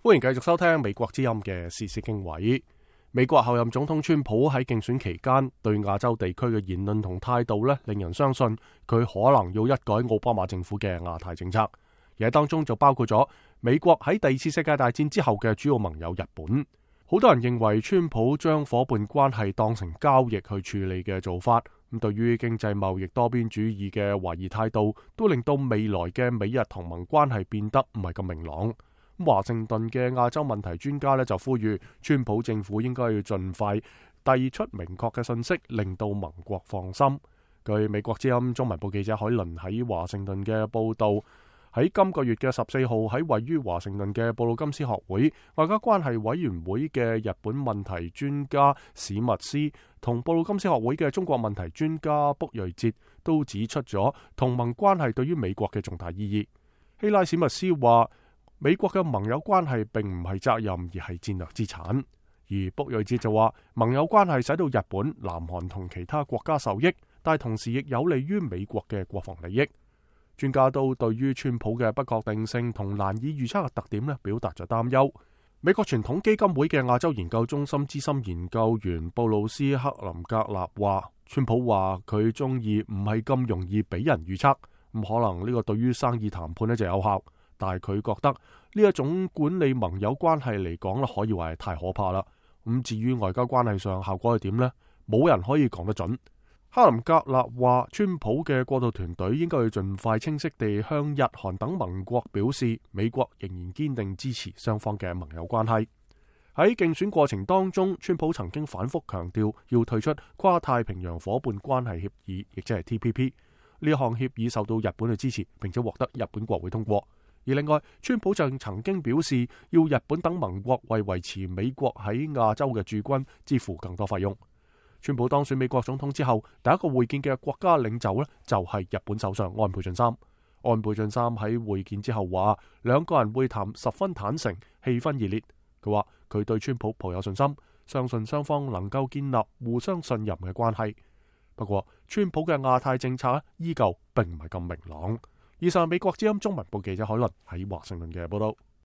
歡迎繼續收聽美國之音嘅時事經緯。美國後任總統川普喺競選期間對亞洲地區嘅言論同態度令人相信佢可能要一改奧巴馬政府嘅亞太政策，而喺當中就包括咗美國喺第二次世界大戰之後嘅主要盟友日本。好多人認為川普將伙伴關係當成交易去處理嘅做法，咁對於經濟貿易多邊主義嘅懷疑態度，都令到未來嘅美日同盟關係變得唔係咁明朗。華盛頓嘅亞洲問題專家就呼籲川普政府應該要盡快遞出明確嘅信息，令到盟國放心。據美國之音中文部記者海倫喺華盛頓嘅報道，喺今個月嘅14號喺位於華盛頓嘅布魯金斯學會外交關係委員會嘅日本問題專家史密斯同布魯金斯學會嘅中國問題專家卜瑞哲都指出咗同盟關係對於美國嘅重大意義。希拉史密斯話，美國嘅盟友關係並唔係責任，而係戰略資產。而卜瑞哲就話，盟友關係使到日本、南韓同其他國家受益，但同時亦有利於美國嘅國防利益。專家都對於川普嘅不確定性同難以預測嘅特點表達咗擔憂。美國傳統基金會嘅亞洲研究中心資深研究員布魯斯克林格納話，川普話佢中意唔係咁容易俾人預測，咁可能呢個對於生意談判就有效。但係佢覺得呢一種管理盟友關係嚟講可以話係太可怕啦。咁至於外交關係上效果係點呢？冇人可以講得準。克林格納話，川普嘅過渡團隊應該要盡快清晰地向日韓等盟國表示，美國仍然堅定支持雙方嘅盟友關係。喺競選過程當中，川普曾經反覆強調要退出跨太平洋夥伴關係協議，亦即係 TPP。呢項協議受到日本嘅支持，並且獲得日本國會通過。而另外，川普就曾經表示要日本等盟國為維持美國喺亞洲嘅駐軍支付更多費用。川普當選美國總統之後，第一個會見嘅國家領袖就係日本首相安倍晉三。安倍晉三喺會見之後話，兩個人會談十分坦誠，氣氛熱烈。佢話佢對川普抱有信心，相信雙方能夠建立互相信任嘅關係。不過，川普嘅亞太政策依舊並唔係咁明朗。以上美國之音中文部記者海倫喺華盛頓嘅報道。